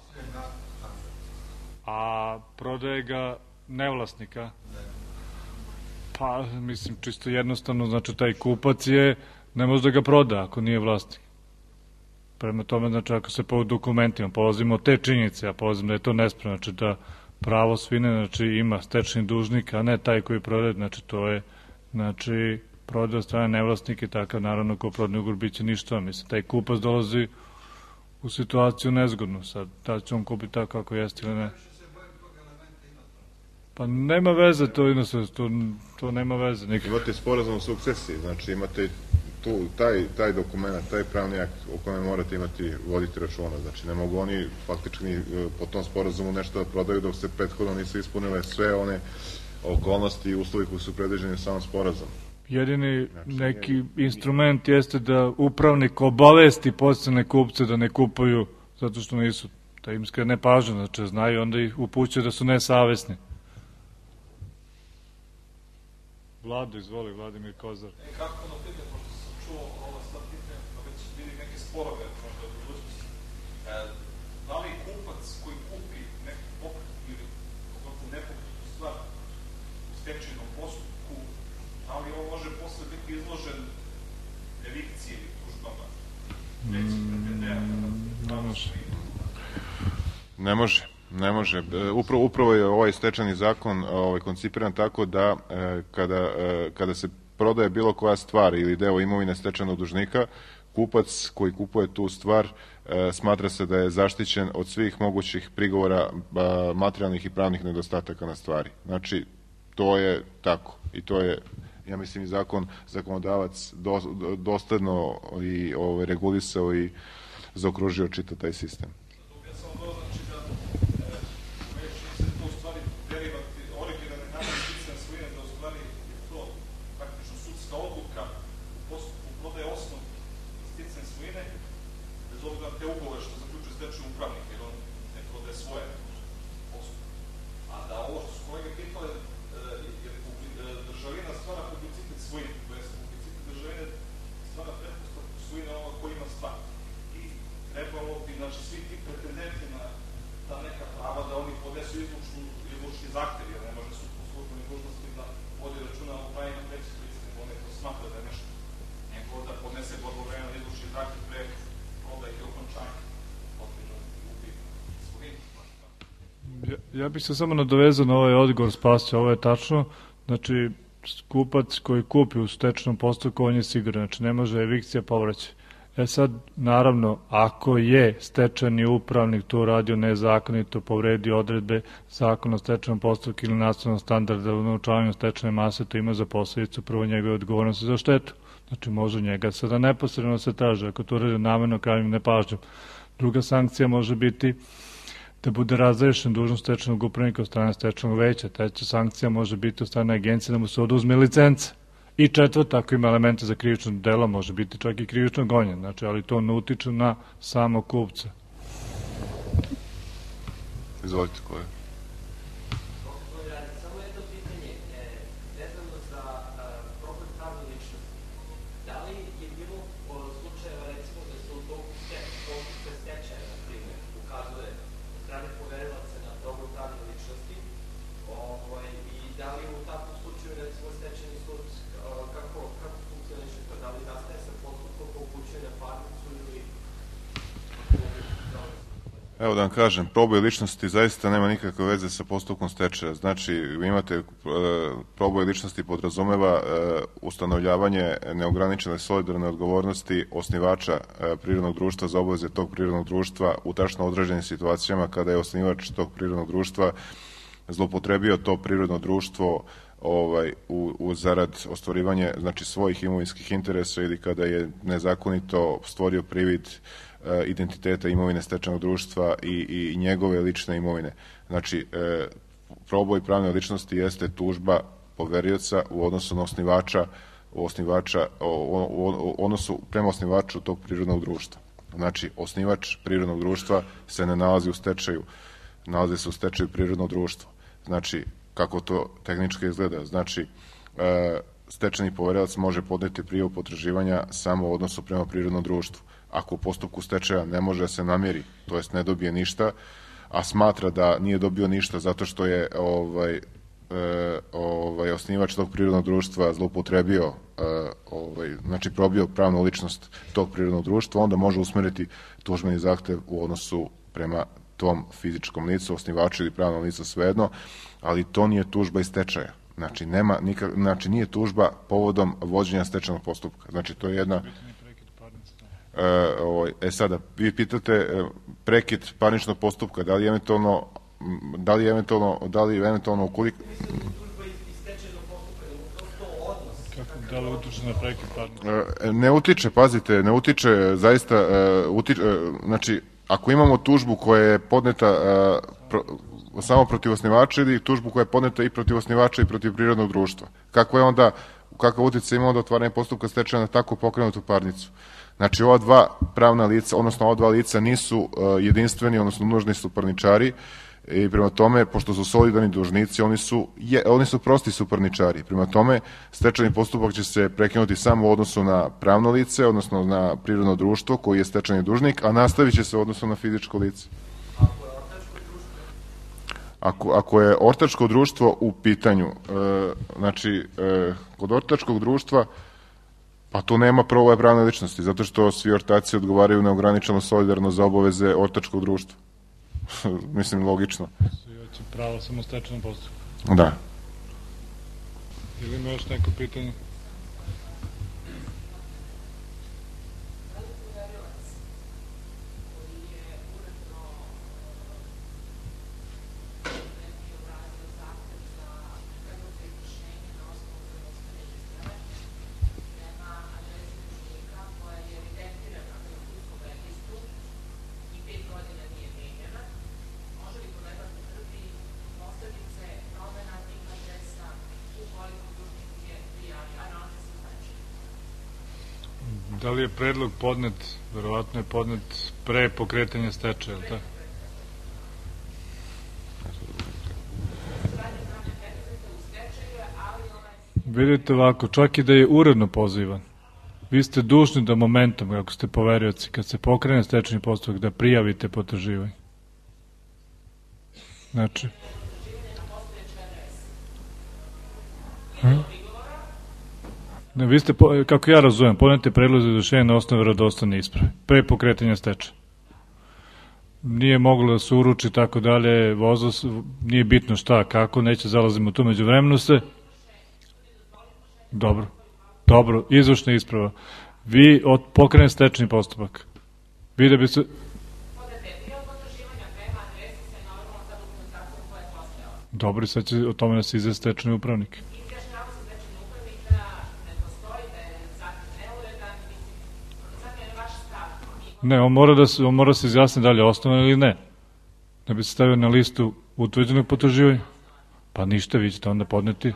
a prodaje ga nevlasnika? Pa, mislim, čisto jednostavno, znači taj kupac je, ne može da ga proda ako nije vlasnik. Prema tome, znači, ako se po dokumentima polazimo od te činjenice, ja polazim da je to nespravno, znači da pravo svine, znači ima stečajni dužnik, a ne taj koji prodaje, znači to je, znači, prodaje od strane nevlasnika i takav, naravno, ko prodne ugovor biće ništa. Mislim, taj kupac dolazi u situaciju nezgodnu. Sad, da će on kupiti tako kako jeste ili ne. Pa nema veze to inostranstvo, to, to nema veze. Nikak. Imate sporazum o sukcesiji, znači imate tu, taj, taj dokument, taj pravni akt o kojem morate imati, voditi računa. Znači ne mogu oni faktički po tom sporazumu nešto da prodaju dok se prethodno nisu ispunile sve one okolnosti i uslovi koji su predviđeni u samom sporazumu. Jedini neki instrument jeste da upravnik obavesti podsjetne kupce da ne kupuju zato što nisu, da im skrene pažnju, znači znaju, onda ih upućuje da su nesavesni. Vlado, izvoli, Vladimir Kozar. E, kako ono pitanje, pošto sam čuo ovo sad pitanje, pa već bili neke sporove, možda u budućnosti. E, da li kupac koji kupi neku pokretnu ili pogotovo nepokretnu stvar u stečajnom postupku, da li on može posle biti izložen evikciji ili tužbama? Mm, ne može. Ne može. Ne može. Upravo, upravo je ovaj stečajni zakon ovaj, koncipiran tako da e, kada, e, kada se prodaje bilo koja stvar ili deo imovine stečajnog dužnika, kupac koji kupuje tu stvar e, smatra se da je zaštićen od svih mogućih prigovora a, materijalnih i pravnih nedostataka na stvari. Znači, to je tako. I to je, ja mislim, i zakon, zakonodavac do, dosledno i ovaj, regulisao i zaokružio čitav taj sistem. Ja bih se samo nadovezao na ovaj odgovor Spasio, ovo je tačno, znači kupac koji kupi u stečajnom postupku, on je siguran, znači ne može evikcija povraćati. E sad, naravno, ako je stečajni upravnik to radio nezakonito, povredio odredbe zakona o stečajnom postupku ili nastavnog standarda u naučavanju stečajne mase, to ima za posledicu prvo njegove odgovornosti za štetu. Znači može njega sada neposredno se traže, ako to radi namerno krajnjim nepažnjom. Druga sankcija može biti da bude razrešen dužnost stečajnog upravnika od strane stečajnog veća. Treća sankcija može biti od strane agencije da mu se oduzme licence. I četvrta, ako ima elemente za krivično delo, može biti čak i krivično gonjen. Znači, ali to ne utiče na samog kupca. Izvolite, koje? Samo jedno pitanje, vezano za problem pravne ličnosti. Da li je bilo slučajeva, recimo, da se u toku postupka stečaja, na primjer, ukazuje od strane poverilaca na problem pravne ličnosti i da li u takvom Evo da vam kažem, proboj ličnosti zaista nema nikakve veze sa postupkom stečaja. Znači, vi imate e, proboj ličnosti podrazumeva e, ustanovljavanje neograničene solidarne odgovornosti osnivača e, prirodnog društva za obaveze tog prirodnog društva u tačno određenim situacijama kada je osnivač tog prirodnog društva zloupotrebio to prirodno društvo ovaj, u, u zarad ostvarivanje znači, svojih imovinskih interesa ili kada je nezakonito stvorio privid identiteta imovine stečajnog društva i, i njegove lične imovine. Znači, e, proboj pravne ličnosti jeste tužba poverioca u odnosu na osnivača, u osnivača o, o, o, odnosu prema osnivaču tog prirodnog društva. Znači, osnivač prirodnog društva se ne nalazi u stečaju, nalazi se u stečaju prirodnog društva. Znači, kako to tehnički izgleda? Znači, e, stečajni poverilac može podneti prijavu potraživanja samo u odnosu prema prirodnom društvu. Ako u postupku stečaja ne može da se namiri, to jest ne dobije ništa, a smatra da nije dobio ništa zato što je ovaj, e, ovaj, osnivač tog prirodnog društva zloupotrebio, e, ovaj, znači probio pravnu ličnost tog prirodnog društva, onda može usmeriti tužbeni zahtev u odnosu prema tom fizičkom licu, osnivaču ili pravnom licu, svejedno, ali to nije tužba iz stečaja. Znači, nema nikak, znači nije tužba povodom vođenja stečajnog postupka. Znači, to je jedna... E, ovaj, e sada, vi pitate e, prekid parničnog postupka, da li eventualno, da li eventualno, da li eventualno ukoliko... Da li utiče na prekid parničnog? E, ne utiče, pazite, ne utiče, zaista, e, utiče, e, znači, ako imamo tužbu koja je podneta e, pro, samo protiv osnivača ili tužbu koja je podneta i protiv osnivača i protiv prirodnog društva, kako je onda, kakav utjecaj ima onda otvaranje postupka stečaja na tako pokrenutu parnicu? Znači, ova dva pravna lica, odnosno ova dva lica nisu uh, jedinstveni, odnosno nužni suparničari i prema tome, pošto su solidarni dužnici, oni su, je, oni su prosti suparničari. Prema tome, stečajni postupak će se prekinuti samo u odnosu na pravno lice, odnosno na prirodno društvo koji je stečajni dužnik, a nastavit će se u odnosu na fizičko lice. Ako, ako je ortačko društvo u pitanju, uh, znači, uh, kod ortačkog društva pa tu nema prvo pravne ličnosti, zato što svi ortaci odgovaraju neograničeno solidarno za obaveze ortačkog društva. Mislim, logično. Svi hoće pravo samo stečajnom postupku. Da. Ili ima još neko pitanje? Da li je predlog podnet, verovatno je podnet pre pokretanja stečaja, ili tako? Vidite ovako, čak i da je uredno pozivan, vi ste dužni da momentom, ako ste poverioci, kad se pokrene stečajni postupak, da prijavite potraživanje. Znači... Hm? Ne, vi ste, kako ja razumem, podnete predlog za izvršenje na osnovu verodostojne isprave, pre pokretanja stečaja. Nije moglo da se uruči tako dalje, vozo, nije bitno šta, kako, neće zalazimo tu među vremenu se. Dobro, dobro, izvršna isprava. Vi od pokrene stečajni postupak. Vi da bi se... Dobro, sad će o tome da se izve stečajni upravnik. Ne, on mora da se, on mora da se izjasni da li je osnovan ili ne. Da bi se stavio na listu utvrđenog potraživanja. Pa ništa, vi ćete onda podneti.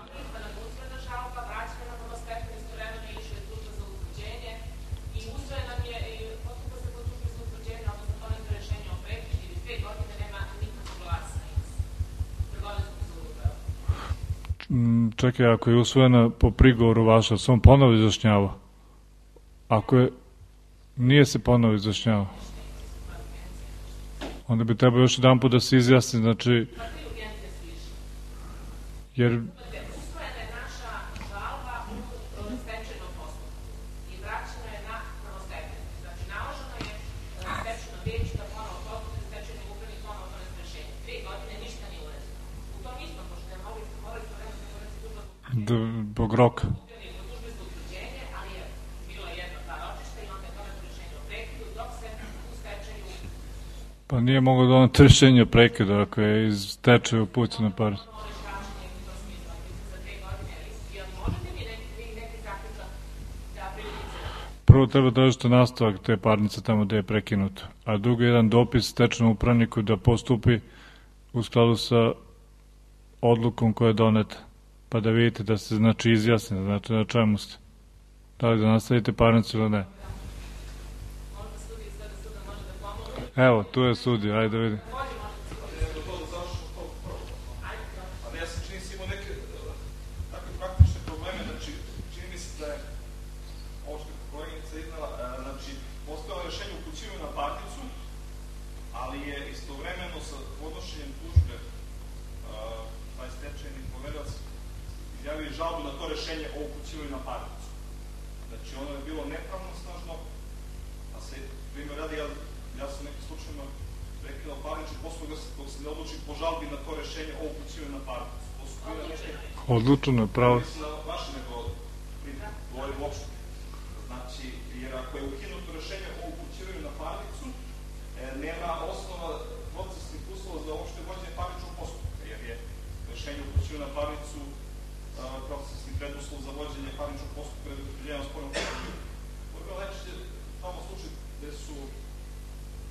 Čekaj, ako je usvojena po prigovoru vaša, se on ponovo izjašnjava. Ako je... Nije se ponovo izjašnjava. Onda bi trebao još jedan put da se izjasni, znači... Jer... Usvojena je naša žalba u stečajnom postupku i vraćena je na prvostepenu. Znači, naloženo je stečajnom vijeću da ponovo postupi stečajnog tog roka. Pa nije mogao doneti rešenje o prekidu ako je iz stečaja upućena parnica. Prvo treba tražiti nastavak te parnice tamo gde je prekinuto, a drugo je jedan dopis stečajnom upravniku da postupi u skladu sa odlukom koja je doneta, pa da vidite da se znači izjasni, znači na čemu ste. Da li da nastavite parnicu ili ne. Evo, tu je sudija, ajde da vidim. žalbu na to rešenje o upućivanju na parnicu. Znači, ono je bilo nepravnosnažno, a se, primjer radi, ja, ja sam nekim slučajima prekinao parnični postupak dok se ne odluči po žalbi na to rešenje o upućivanju na parnicu. To su bile neke... Odlučeno je pravo. Mislim na vaše nego primjer, govorim uopšte. Znači, jer ako je ukinuto rešenje o upućivanju na parnicu, e, nema osnova procesnih uslova za uopšte vođenje parničnog postupka, jer je rešenje o upućivanju na parnicu procesni preduslov za vođenje parničnog postupka radi utvrđivanja spornog postupka. Ovo je bilo najčešće tamo slučaj gde su,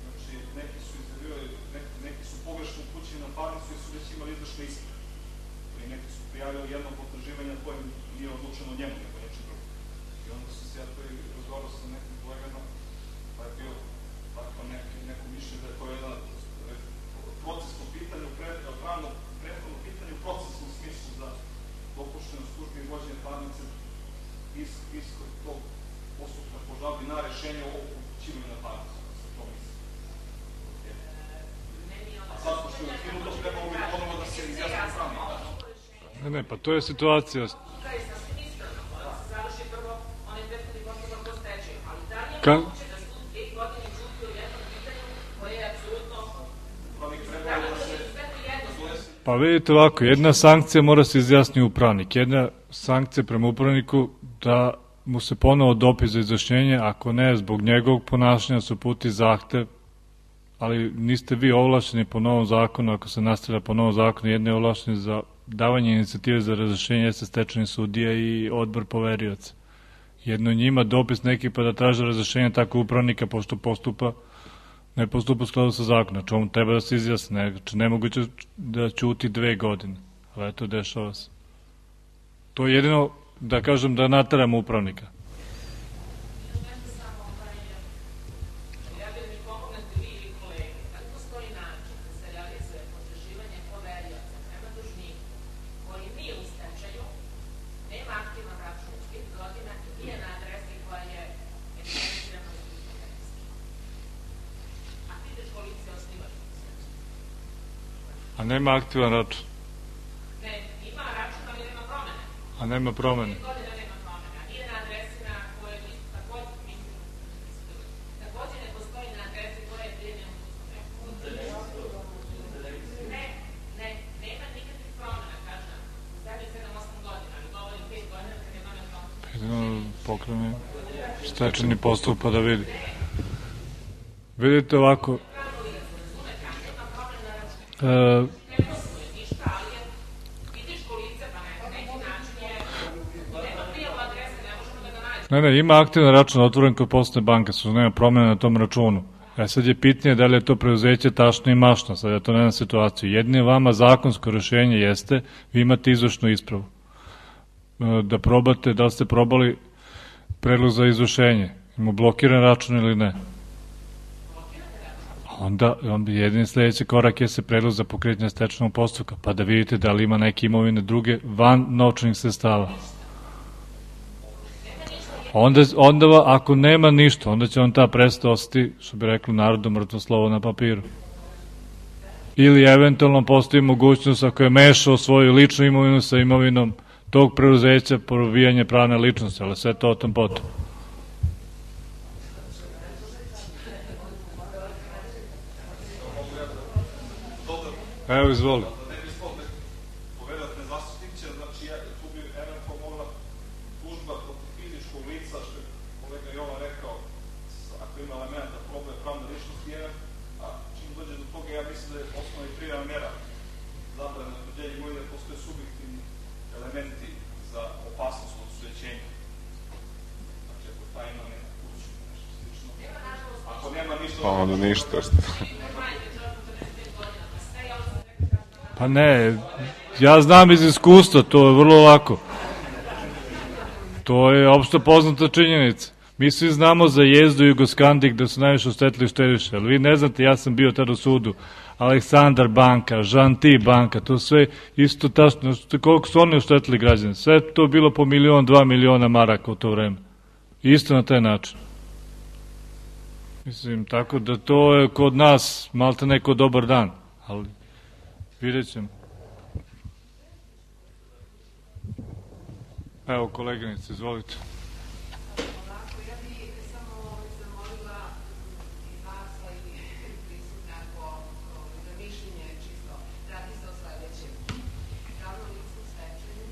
znači, neki su izjavljivali, neki, neki su pogrešno upućeni na parnicu jer su već imali izvršne isprave. Ili neki su prijavili jedno potraživanje koje nije odlučeno njemu, nego nečem drugom. I onda su se ja to i razgovarao sa nekim kolegama, pa je bio tako neki, neko mišljenje da je to jedan procesno pitanje, pravno prethodno pitanje u procesnom smislu za dopušteno službi i vođenje parnice iskod tog postupka po žalbi na rešenje o upućivanju na parnicu, ako se to misli. A sad, pošto je ukinuto, trebalo bi ponovo da se izjasni pravni. Ne, ne, pa to je situacija. Ka... Pa vidite ovako, jedna sankcija mora se izjasniti upravnik. Jedna sankcija prema upravniku da mu se ponovo dopis za izjašnjenje, ako ne, zbog njegovog ponašanja se uputi zahtev, ali niste vi ovlašćeni po novom zakonu, ako se nastavlja po novom zakonu, jedni je ovlašćeni za davanje inicijative za razrešenje jeste stečajni sudija i odbor poverioca. Jedno njima dopis neki pa da traže razrešenje tako upravnika, pošto postupa ne postupa u skladu sa zakonom, znači on treba da se izjasne, znači nemoguće da ćuti dve godine, ali eto, dešava se. To je jedino, da kažem, da nateramo upravnika. A nema aktivan račun. Ne, ima račun, ali nema promene. A nema promene. Godina nema promene. Nije na adresi na koje takođe, mislim, takođe ne postoji na adresi koja je prijemljena u sudskom reku. Ne, ne, nema nikakvih promena, kažem. Zadnje sedam osam godina, ali govorim pet godina kad je nove promene. Jedino pokrene stečajni postup pa da vidi. Vidite ovako, Uh, ne, ne, ima aktivan račun otvoren kod Poslovne banke, su nema promjena na tom računu. E sad je pitanje da li je to preuzeće tačno i mašno, sad ja to nemam situaciju. Jedno vama zakonsko rešenje jeste, vi imate izvršnu ispravu. Uh, da probate, da li ste probali predlog za izvršenje, ima blokiran račun ili ne. Onda, onda jedini sledeći korak je se predlog za pokretanje stečajnog postupka, pa da vidite da li ima neke imovine druge van novčanih sredstava. Onda, onda ako nema ništa, onda će on ta presuda ostati, što bi rekli narodu, mrtvo slovo na papiru. Ili eventualno postoji mogućnost ako je mešao svoju ličnu imovinu sa imovinom tog preuzeća, probijanje pravne ličnosti, ali sve to o tom potom. Evo, izvoli. Da ne bi spod povedat nezaštitit će, znači tu bi eventualno mogla Pa onda ništa. Pa ne, ja znam iz iskustva, to je vrlo lako. To je opšto poznata činjenica. Mi svi znamo za Jezdu i Jugoskandik da su najviše oštetili štediše, ali vi ne znate, ja sam bio tada u sudu, Aleksandar banka, Žanti banka, to sve isto tačno, koliko su oni oštetili građane, sve to bilo po milion, dva miliona maraka u to vreme. Isto na taj način. Mislim, tako da to je kod nas malte neko dobar dan, ali vidjet ćemo. Evo, koleginice, izvolite. Ovako, ja bih samo zamolila i vas, a i prisutne ako za mišljenje čisto. Radi se o sledećem. Pravno lice u stečaju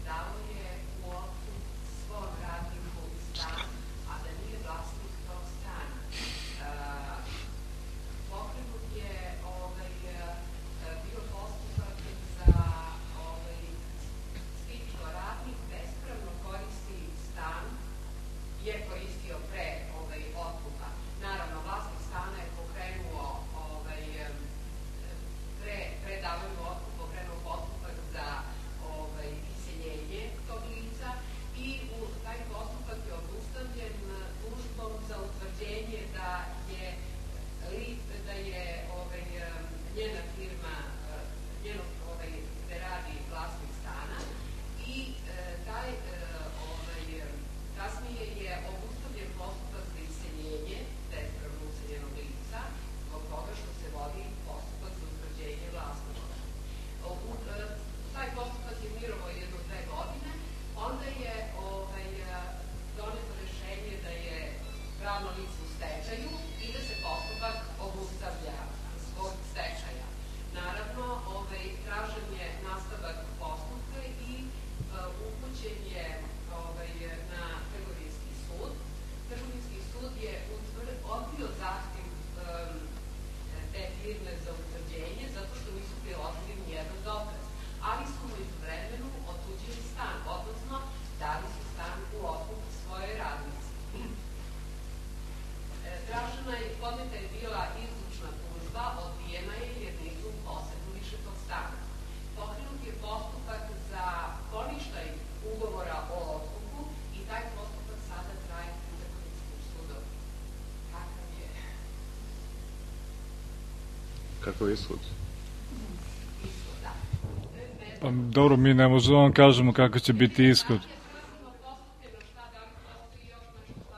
dalo je u otkup svom radniku stan, a da nije vlasnik tog stana. Pokrenut je bio postupak za stičko radnik bespravno koristi stan, je koristio pre otkupa. Naravno, vlasnik stana je pokrenuo pre davanja u otkup, pokrenuo postupak za iseljenje tog lica i taj postupak je obustavljen tužbom za utvrđenje da je da je njena firma, njeno gde radi vlasnik stana i taj kasnije je obustavljen postupak za iseljenje bespravno useljenog lica zbog toga što se vodi postupak za utvrđenje vlasnika. Taj postupak je mirovao jedno dve godine, onda je doneto rešenje da je pravno lice u stečaju i da se postupak obustavlja zbog stečaja. Naravno, tražen je nastavak postupka i upućen je na Trgovinski sud. Trgovinski sud je odbio zahtev te firme za utvrđenje zato što nisu priložili nijedan dokaz, ali su mu istovremeno otuđili stan, odnosno dali su stan u otkup svojoj radnici. Tražena je, podneta je bila izlučna tužba, odbijena je jer nisu posedili više tog stana. Pokrenut je postupak za poništaj ugovora o otkupu i taj postupak sada traje u Trgovinskom sudu. Kakav je? Kakav je ishod? Ishod, da. Pa dobro, mi ne možemo vam kažemo kako će biti ishod.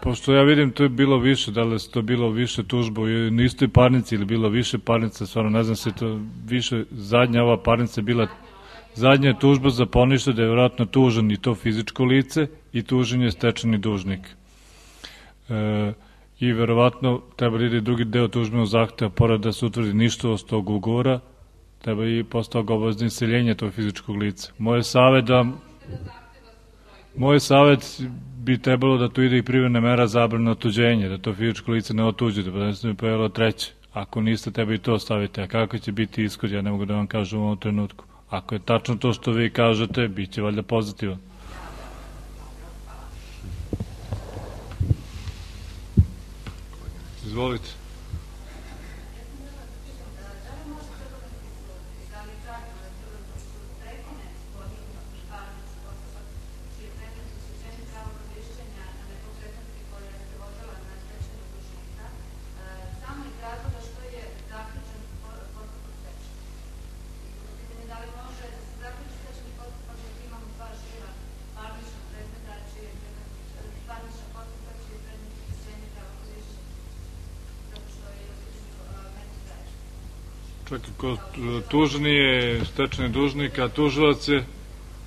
Pošto ja vidim, to je bilo više, da li je to bilo više tužba u istoj parnici ili bilo više parnica, stvarno ne znam se to više, zadnja ova parnica je bila, zadnja je tužba za poništaj da je vjerojatno tužen i to fizičko lice i tužen je stečajni dužnik. E, I verovatno treba da ide drugi deo tužbenog zahteva, pored da se utvrdi ništavost tog ugovora, treba i posle toga obavezno iseljenje tog fizičkog lica. Moj savjet da... Moj savjet bi trebalo da tu ide i privremena mera zabrane otuđenja, da to fizičko lice ne otuđe, da ne bi pojavilo treće. Ako niste, treba i to staviti. A kako će biti ishod, ja ne mogu da vam kažem u ovom trenutku. Ako je tačno to što vi kažete, bit će valjda pozitivan. Izvolite. Čak i ko tužni je stečajni dužnik, a tužilac je...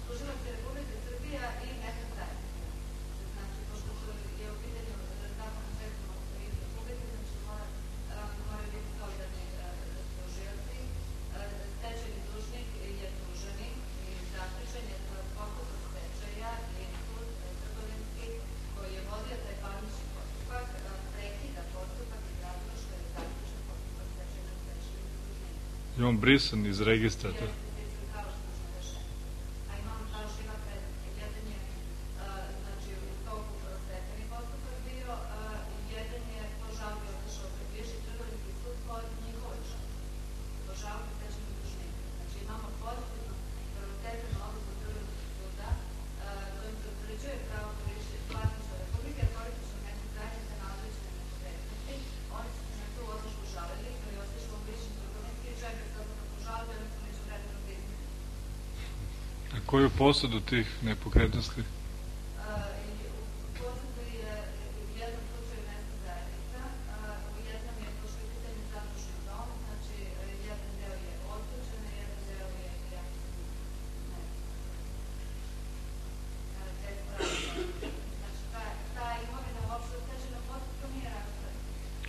Tužilac je Republika Srbija i neka zajednica. Znači, pošto je u pitanju zakon o sredstvima Republike, znači moraju biti solidarni tužioci. Stečajni dužnik je tuženi i zaključen je postupak stečaja i sud trgovinski koji je vodio taj parnični postupak prekida postupak iz razloga što je zaključen postupak stečajnog stečajnog dužnika. Je on brisan iz registra? Jeste brisan kao što smo rešeni. A imamo dva živa predmeta. Jedan je, znači, u toku stečajni postupak bio, jedan je po žalbi otišao pred viši trgovinski Koju posadu tih nepokretnosti?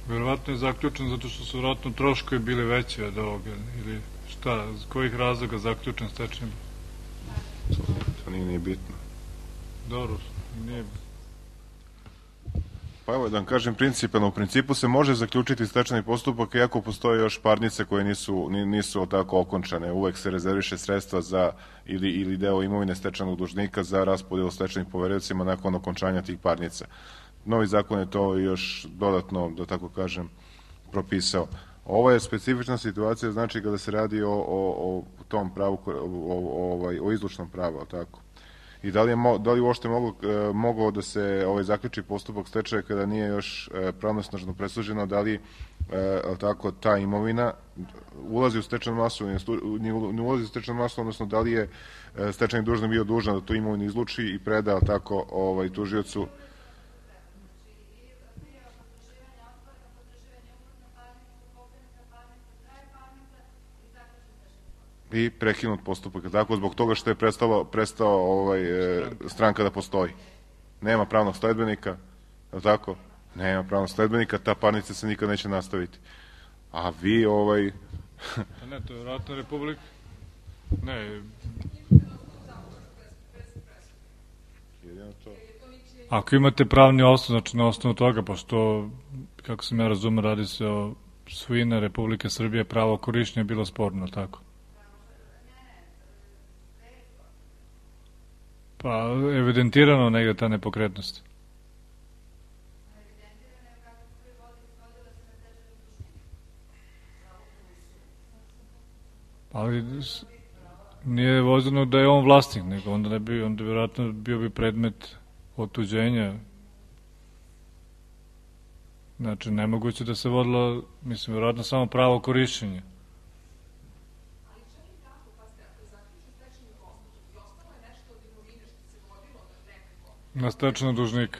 Verovatno je zaključen zato što su vjerojatno troškovi bili veći od ovoga, ili šta, iz kojih razloga zaključen stečajni? To nije, nije bitno. Dobro, nije. Pa evo da vam kažem principalno, u principu se može zaključiti stečajni postupak iako postoje još parnice koje nisu, nisu tako okončane. Uvek se rezerviše sredstva za ili, ili deo imovine stečajnog dužnika za raspodelu stečajnih poveriocima nakon okončanja tih parnica. Novi zakon je to još dodatno, da tako kažem, propisao. Ovo je specifična situacija, znači kada se radi o, o, o tom pravu, o, o, o, o izlučnom pravu, tako. I da li je, da li uopšte moglo, mogao da se ovaj zaključi postupak stečaja kada nije još pravnosnažno presuđeno, da li tako ta imovina ulazi u stečajnu masu, ne ulazi u stečajnu masu, odnosno da li je stečajni dužnik bio dužan da tu imovinu izluči i preda tako ovaj tužiocu. I prekinut postupak, tako, zbog toga što je prestalo, prestao ovaj, e, stranka da postoji. Nema pravnog sledbenika, je tako? Nema pravnog sledbenika, ta parnica se nikad neće nastaviti. A vi, ovaj... A ne, to je vratna republika. Ne. Ako imate pravni osnov, znači na osnovu toga, pošto, kako sam ja razumio, radi se o svojina Republike Srbije, pravo korišćenja je bilo sporno, tako? Pa, evidentirano negde ta nepokretnost. Ali nije vozeno da je on vlasnik, nego onda ne bi, onda vjerojatno bio bi predmet otuđenja. Znači, nemoguće da se vodilo, mislim, vjerojatno samo pravo korišćenja. Na stečajnog dužnika.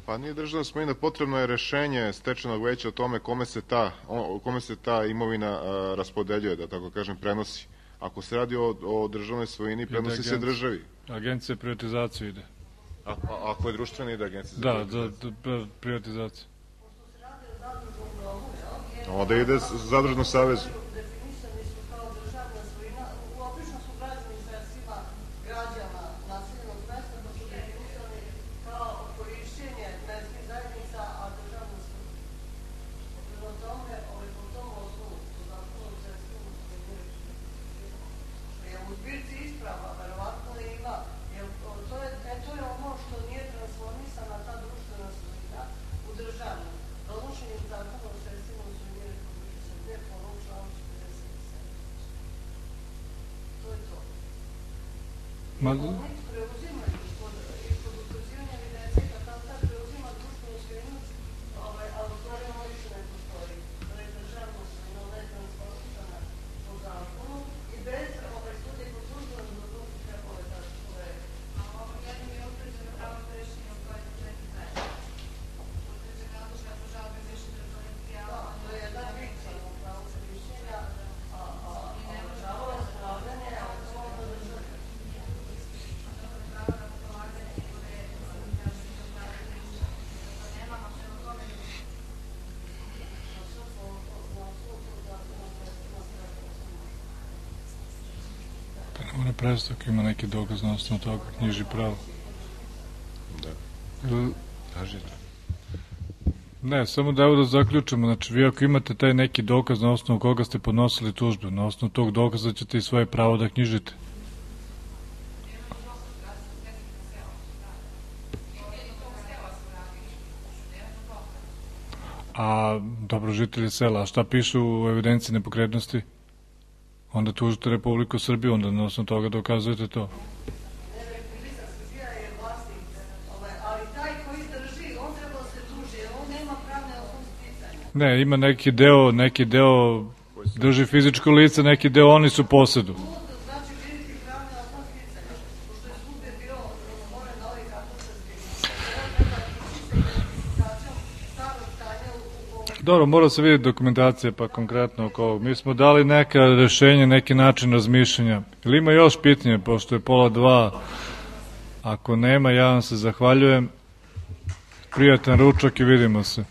Pa nije državna svojina, potrebno je rešenje stečajnog veća o tome kome se ta, o, kome se ta imovina a, raspodeljuje, da tako kažem, prenosi. Ako se radi o, o državnoj svojini, prenosi se državi. Agencija privatizaciju ide. A, a, ako je društvena, ide agencija za da, privatizaciju? Da, za privatizaciju. Onda ide zadružno savezu. Ma... Ona predstavka ima neki dokaz na osnovu toga, knjiži pravo. Da. Kažete. Ne, samo da evo da zaključimo, znači vi ako imate taj neki dokaz na osnovu koga ste podnosili tužbu, na osnovu tog dokaza ćete i svoje pravo da knjižite. A dobro, žitelji sela, a šta piše u evidenciji nepokretnosti? Onda tužite Republiku Srbiju, onda na osnovu toga dokazujete to. Ne, ima neki deo, neki deo drži fizičko lice, neki deo oni su posedu. Znači, vidjeti pravne osnov sticanja, pošto je svugde bio dogovoren novi katastarski identifikacijom starog stanja u ovom. Dobro, mora se vidjeti dokumentacija pa konkretno oko ovog. Mi smo dali neka rešenja, neki način razmišljanja. Ili ima još pitanje, pošto je pola dva? Ako nema, ja vam se zahvaljujem. Prijatan ručak i vidimo se.